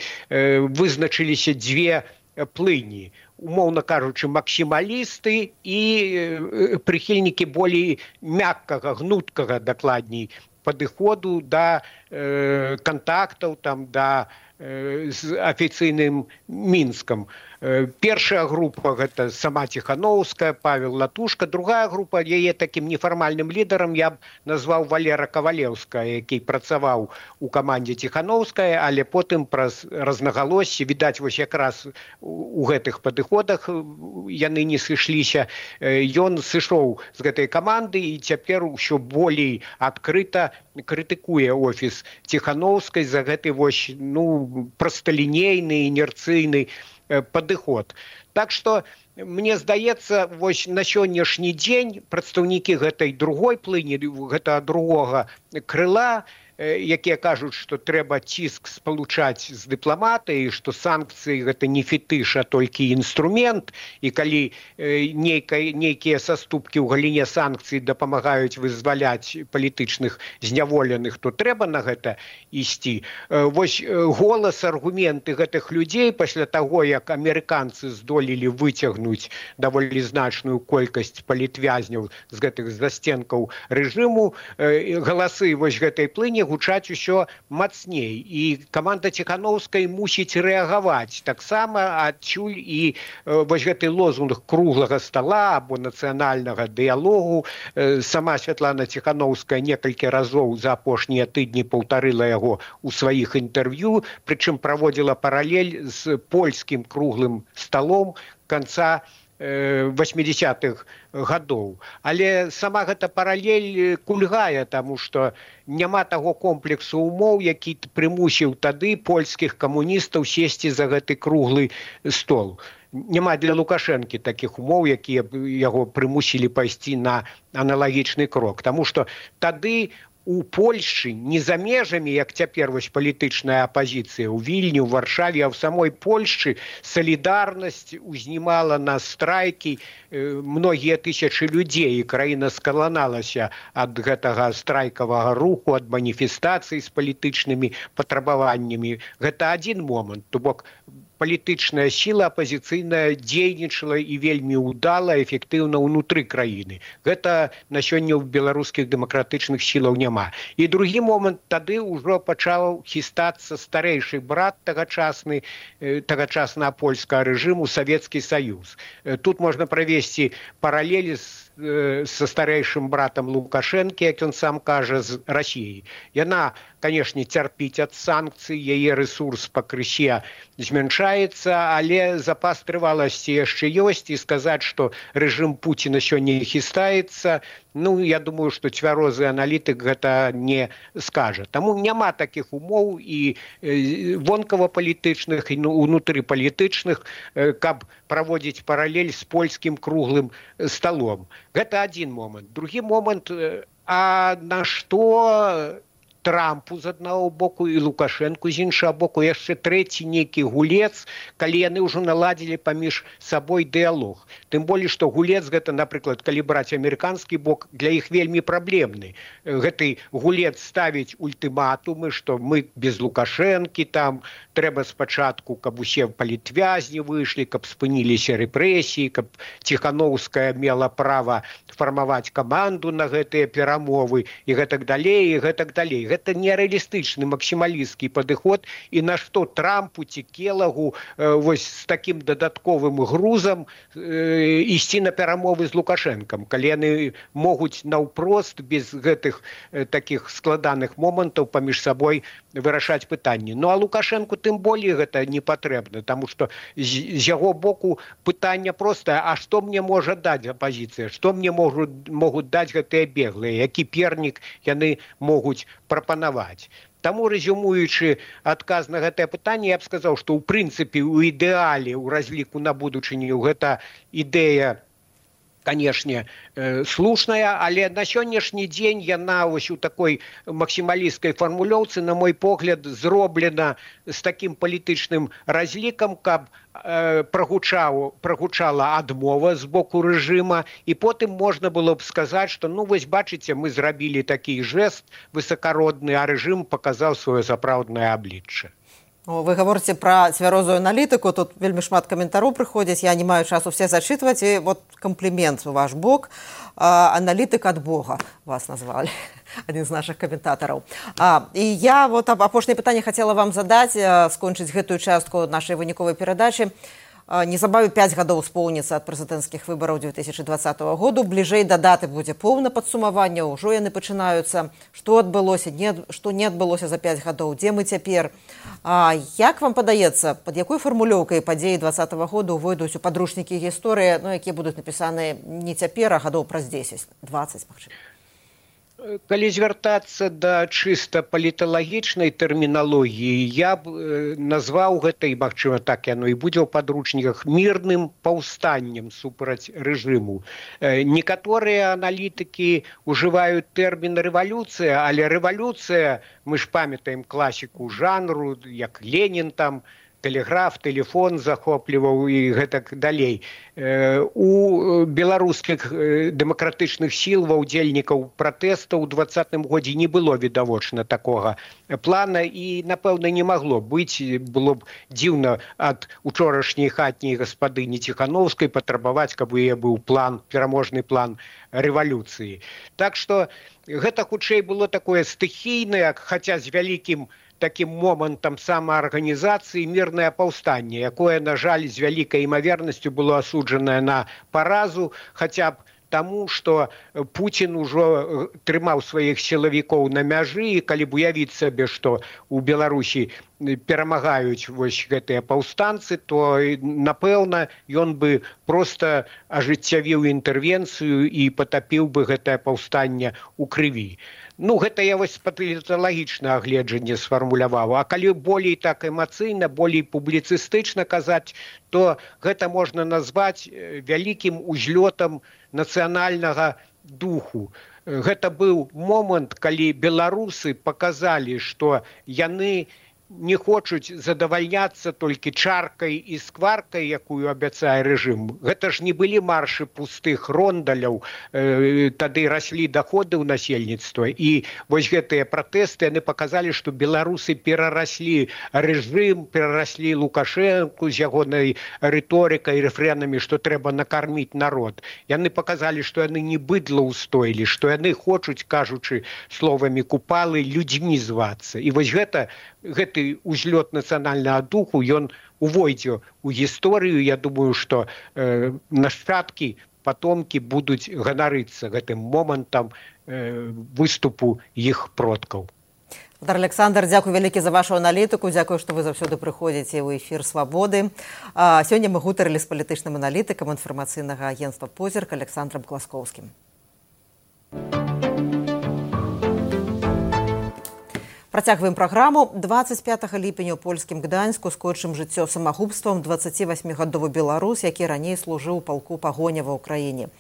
вызначыліся дзве плыні. Умоўна кажучы, максімалісты і прыхільнікі болей мяккага, гнуткага, дакладней, падыходу да э, кантактаў, там, да э, з афіцыйным Мінскам. Першая група – гэта сама Ціхановская, Павел Латушка. Другая група, яе такім нефармальным лідарам я б назваў Валера Кавалеўская, які працаваў у камандзе Ціхановская, але потым праз разнагалоссі, відаць, вось якраз у гэтых падыходах яны не сышліся. Ён сышоў з гэтай каманды і цяпер усё болей адкрыта крытыкуе офіс Ціхановскай за гэты вось, ну, прасталінейны, інерцыйны падыход. Так што, мне здаецца, вось на сённяшні дзень прадстаўнікі гэтай другой плыні, гэтага другога крыла, якія кажуць, што трэба ціск спалучаць з дыпламатыяй, што санкцыі гэта не фетыш, а толькі інструмент, і калі нейкія саступкі ў галіне санкцый дапамагаюць вызваляць палітычных зняволеных, то трэба на гэта ісці. Вось голас, аргументы гэтых людзей пасля таго, як амерыканцы здолелі выцягнуць даволі значную колькасць палітвязняў з гэтых засценкаў рэжыму, галасы вось гэтай плыні гучаць усё мацней. І каманда Ціханаўскай мусіць рэагаваць. Таксама адчуль і вось гэты лозунг круглага стала або нацыянальнага дыялогу. Сама Святлана Ціханаўская некалькі разоў за апошнія тыдні паўтарыла яго ў сваіх інтэрв'ю, прычым праводзіла паралель з польскім круглым сталом канца восьмидесятых гадоў. Але сама гэта паралель кульгае, таму што няма таго комплексу умоў, які прымусіў тады польскіх камуністаў сесці за гэты круглы стол. Няма для Лукашэнкі такіх умоў, якія яго прымусілі пайсці на аналагічны крок. Таму што тады у Польшчы не за межамі, як цяпер вось палітычная апазіцыя ў Вільні, ў Варшаве, а ў самой Польшчы салідарнасць узнімала на страйкі многія тысячы людзей, і краіна скаланалася ад гэтага страйкавага руху, ад маніфестацый з палітычнымі патрабаваннямі. Гэта адзін момант, то бок палітычная сіла апазіцыйная дзейнічала і вельмі ўдала, эфектыўна ўнутры краіны. Гэта на сёння ў беларускіх дэмакратычных сілаў няма. І другі момант, тады ўжо пачаў хістацца старэйшы брат тагачасны, тагачаснага польскага рэжыму, Савецкі Саюз. Тут можна правесці паралелі з са старэйшым братам Лукашэнкі, як ён сам кажа, з Расіяй. Яна, канешне, цярпіць ад санкцый, яе рэсурс пакрысе змяншаецца, але запас трываласці яшчэ ёсць, і сказаць, што рэжым Пуціна сёння хістаецца, ну, я думаю, што цвярозы аналітык гэта не скажа. Таму няма такіх умоў і вонкава-палітычных, і унутрыпалітычных, каб праводзіць паралель з польскім круглым сталом. Гэта адзін момант. Другі момант, а на што Трампу з аднаго боку і Лукашэнку з іншага боку яшчэ трэці нейкі гулец, калі яны ўжо наладзілі паміж сабой дыялог. Тым болей, што гулец гэта, напрыклад, калі браць амерыканскі бок, для іх вельмі праблемны. Гэты гулец ставіць ультыматумы, што мы без Лукашэнкі, там трэба спачатку, каб усе палітвязні выйшлі, каб спыніліся рэпрэсіі, каб Ціханаўская мела права фармаваць каманду на гэтыя перамовы і гэтак далей, і гэтак далей. Гэта нереалістычны максімалісцкі падыход, і на што Трампу ці Келагу вось з такім дадатковым грузам ісці на перамовы з Лукашэнкам, калі яны могуць наўпрост без гэтых такіх складаных момантаў паміж сабой вырашаць пытанні. Ну а Лукашэнку тым болей гэта не патрэбна, таму што з яго боку пытанне простае: а што мне можа даць апазіцыя, што мне могуць, могуць даць гэтыя беглыя, які пернік яны могуць прапанаваць. Таму, рэзюмуючы адказ на гэтае пытанне, я б сказаў, што ў прынцыпе, у ідэале, у разліку на будучыню, гэта ідэя, канешне, слушная, але на сённяшні дзень яна вось у такой максімалісцкай фармулёўцы, на мой погляд, зроблена з такім палітычным разлікам, каб прагучаў, прагучала адмова з боку рэжыма, і потым можна было б сказаць, што, ну, вось бачыце, мы зрабілі такі жэст высакародны, а рэжым паказаў сваё сапраўднае аблічча. Вы гаворыце пра цвярозую аналітыку, тут вельмі шмат каментароў прыходзіць, я не маю часу все зачытваць, і вот комплімент у ваш бок, аналітык ад Бога вас назвалі, адзін з нашых каментатараў. І я вот апошняе пытанне хацела вам задаць, скончыць гэтую частку нашай выніковай перадачы. Незабаве пяць гадоў споўніцца ад прэзідэнцкіх выбараў две тысячы двадцатага году. Бліжэй да даты будзе поўна падсумавання, ўжо яны пачынаюцца. Што адбылося, не, што не адбылося за пяць гадоў, дзе мы цяпер? А, як вам падаецца, пад якой фармулёўкай падзеі двадцатага года увойдуць у падручнікі гісторыі, ну, якія будуць напісаныя не цяпер, а гадоў праз дзесяць, дваццаць, магчыма? Калі звяртацца да чыста паліталагічнай тэрміналогіі, я б назваў гэта, і магчыма так яно і будзе ў падручніках, мірным паўстаннем супраць рэжыму. Некаторыя аналітыкі ўжываюць тэрмін рэвалюцыя, але рэвалюцыя, мы ж памятаем класіку жанру, як Ленін там, тэлеграф, тэлефон захопліваў і гэтак далей. У беларускіх дэмакратычных сіл, ва ўдзельнікаў пратэстаў у двадцатым годзе не было відавочна такога плана і, напэўна, не магло быць. Было б дзіўна ад учорашняй хатняй гаспадыні Ціхановскай патрабаваць, каб у яе быў план, пераможны план рэвалюцыі. Так што гэта хутчэй было такое стыхійнае, хаця з вялікім такім момантам самаарганізацыі мірнае паўстанне, якое, на жаль, з вялікай імавернасцю было асуджанае на паразу, хаця б таму, што Пуцін ужо трымаў сваіх сілавікоў на мяжы, і калі б уявіць сабе, што ў Беларусі перамагаюць вось гэтыя паўстанцы, то, напэўна, ён бы проста ажыццявіў інтэрвенцыю і патапіў бы гэтае паўстанне ў крыві. Ну, гэта я вось паліталагічнае агледжанне сфармуляваў. А калі болей так эмацыйна, болей публіцыстычна казаць, то гэта можна назваць вялікім узлётам нацыянальнага духу. Гэта быў момант, калі беларусы паказалі, што яны не хочуць задавальняцца толькі чаркай і скваркай, якую абяцае рэжым. Гэта ж не былі маршы пустых рондаляў, э, тады раслі даходы ў насельніцтва. І вось гэтыя пратэсты, яны паказалі, што беларусы перараслі рэжым, перараслі Лукашэнку з ягонай рыторыкай, рэфрэнамі, што трэба накарміць народ. Яны паказалі, што яны не быдлаўстойлі, што яны хочуць, кажучы словамі Купалы, людзьмі звацца. І вось гэта гэты узлёт нацыянальнага духу, ён увойдзе ў гісторыю. Я думаю, што э, нашчадкі, патомкі будуць ганарыцца гэтым момантам э, выступу іх продкаў. Александр, дзякуй вялікі за вашу аналітыку, дзякую, што вы заўсёды прыходзіце ў эфір Свабоды. А, сёння мы гутарылі з палітычным аналітыкам інфармацыйнага агенцтва «Позірк» Александром Класкоўскім. Працягваем праграму. дваццаць пятага ліпеня ў польскім Гданьску скончым жыццё самагубствам дваццацівасьмігадовы беларус, які раней служыў у палку пагоня ва ўкраіне.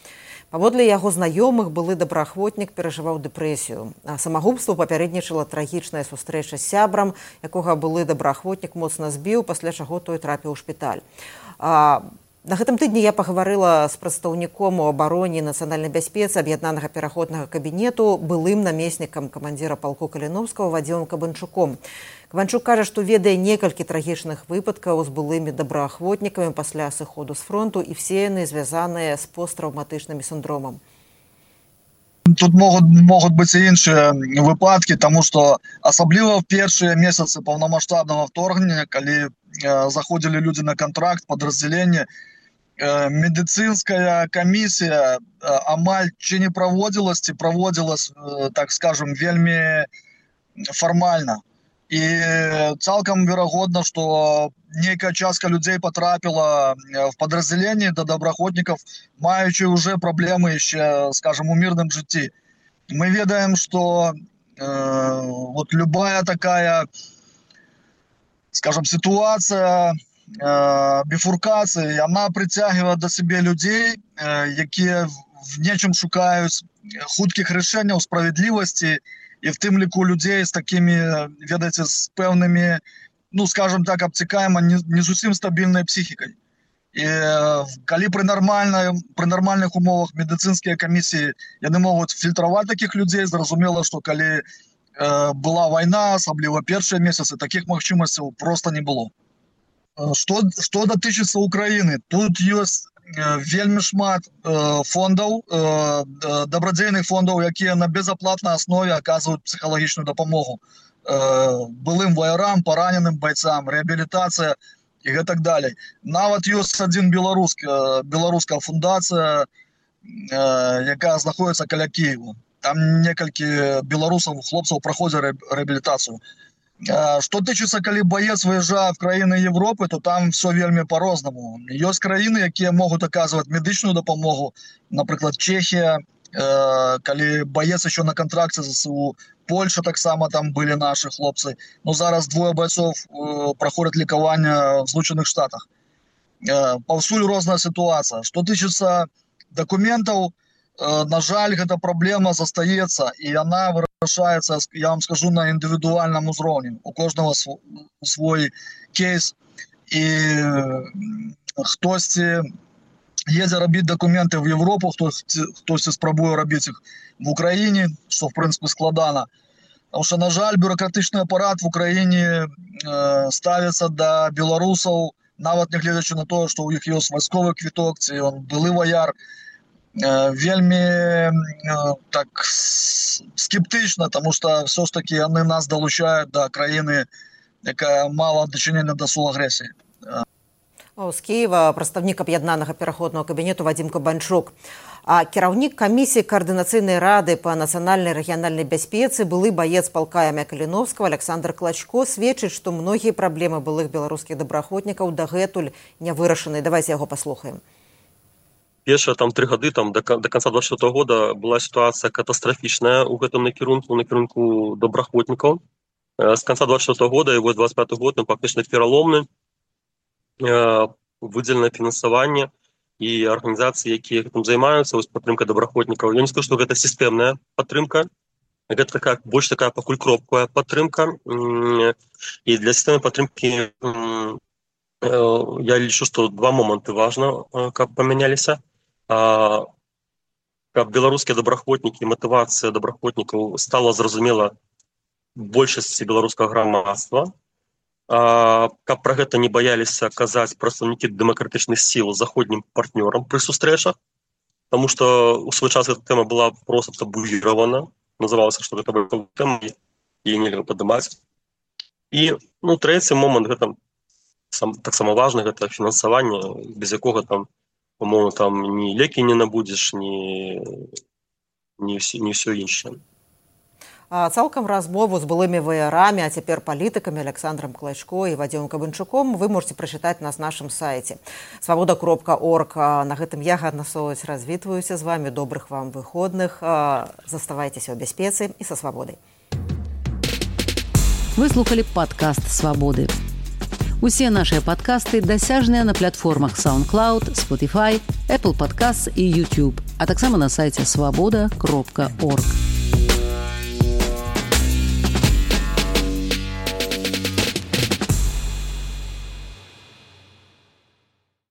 Паводле яго знаёмых, былы добраахвотнік перажываў дэпрэсію. А самагубству папярэднічала трагічная сустрэча з сябрам, якога былы добраахвотнік моцна збіў, пасля чаго той трапіў у шпіталь. А на гэтым тыдні я пагаварыла з прадстаўніком у абароне нацыянальнай бяспецы аб'яднанага пераходнага кабінету, былым намеснікам камандзіра палку Каліновскага Вадзімам Кабанчуком. Кабанчук кажа, што ведае некалькі трагічных выпадкаў з былымі добраахвотнікамі пасля сыходу з фронту, і все яны звязаныя з посттраўматычным сіндромам. Тут могут, могут быть и іншыя выпадки, тому что асабліва в першыя месяцы паўнамасштабнага вторгнення, калі э, заходили люди на контракт, подразделение, э, медицинская комиссия э, амаль чи не проводилась, ці проводилась, э, так скажем, вельмі формально. І цалкам верагодна, што нейкая частка людзей потрапіла в подразделение до добраахвотнікаў, маючы уже праблемы яшчэ, скажем, у мірным жыцці. Мы ведаем, што э, вот любая такая, скажем, ситуация э, бифуркации, она притягивает до себе людей, э, якія в нечым шукаюць хуткіх рашэнняў, справядлівасці, і в тым ліку людзей з такімі, ведаеце, з пэўнымі, ну, скажем так, абцікаема, не, не зусім стабільнай псіхікай. І калі пры нармальнай, пры нармальных умовах медыцынскія камісіі яны могуць фільтраваць такіх людзей, зразумела, што калі э, была вайна, асабліва першыя месяцы, такіх магчымасцяў проста не было. Што, што датычыцца Украіны, тут ёсць вельмі шмат э, фондаў, э, дабрадзейных фондаў, якія на безаплатнай аснове аказваюць псіхалагічную дапамогу э, былым ваярам, параненым байцам, рэабілітацыя і гэтак далей. Нават ёсць адзін беларускі, беларуская фундацыя, э, якая знаходіцца каля Кіева. Там некалькі беларусаў, хлопцаў праходзяць рэабілітацыю. Што тычыцца, калі баец выязджае в краіны Европы, то там все вельмі по-рознаму. Ёсць краіны, якія могуць аказваць медычную дапамогу, напрыклад, Чехія, калі баец еще на контракце ЗСУ, Польша таксама там были наши хлопцы, но зараз двое бойцов проходят лікаванне в Злученых Штатах. Паўсюль розная ситуация. Что тычыцца документов, на жаль, эта проблема застаецца, и она вырашаецца, я вам скажу, на индивидуальном узроўні. У кожного свой кейс, и хтосьці едзе рабіць документы в Европу, хтосьці, хтосьці спрабуе рабіць их в Украине, что в принципе складана. Потому что, на жаль, бюрократичный аппарат в Украине э, ставится до белорусов, нават не глядячи на то, что у них есть войсковый квиток, ці он былы вояр, э, вельми э, так скептично, потому что все ж таки они нас долучают до краины, якая мала дачынення до суагрэсіі. З Киева прадстаўнік аб'яднанага пераходнага кабінету Вадзім Кабанчук. А кіраўнік камісіі каардынацыйнай рады па нацыянальнай рэгіянальнай бяспецы, былы баец палка імя Каліновскага Александр Клачко сведчыць, што многія праблемы былых беларускіх добраахвотнікаў дагэтуль не вырашаны. Давайте яго паслухаем. Першыя там тры гады там до, до конца двадцать четвёртого года была ситуация катастрофичная у гэтым накірунку, накірунку добраахвотнікаў. С конца двадцать четвёртого года и вот двадцать пятый год он фактично пераломны. Выделено фінансаванне і арганізацыі, якія гэтым займаюцца, вось падтрымка добраахвотнікаў. Я не скажу, што гэта сістэмная падтрымка, гэта такая больш такая пакуль кропкавая падтрымка. І для сістэмнай падтрымкі я лічу, што два моманты важна, каб памяняліся. Каб беларускія добраахвотнікі, матывацыя добраахвотнікаў стала зразумела большасці беларускага грамадства. Каб пра гэта не баяліся казаць прадстаўнікі дэмакратычных сіл заходнім партнёрам пры сустрэчах, таму што ў свой час эта тэма была проста табуіравана, называлася, што гэта была тэма, яе нельга падымаць. І ну, трэці момант, гэта сам, таксама важны, гэта фінансаванне, без якога там, умоўна, там ні лекі не набудзеш, ні, ні, ні ўсё іншае. Цалкам размову з былымі ваярамі, а цяпер палітыкамі Александром Клачко і Вадзімом Кабанчуком вы можете прачытаць на нашым сайце свабода кропка орг. На гэтым я, Ганна Солаць, развітваюся з вами. Добрых вам выходных. Заставайцеся ў бяспецы і са свабодай. Вы слухали падкаст «Свабоды». Усе нашыя падкасты дасяжныя на платформах SoundCloud, Spotify, Apple Podcasts і YouTube, а таксама на сайце свабода кропка орг.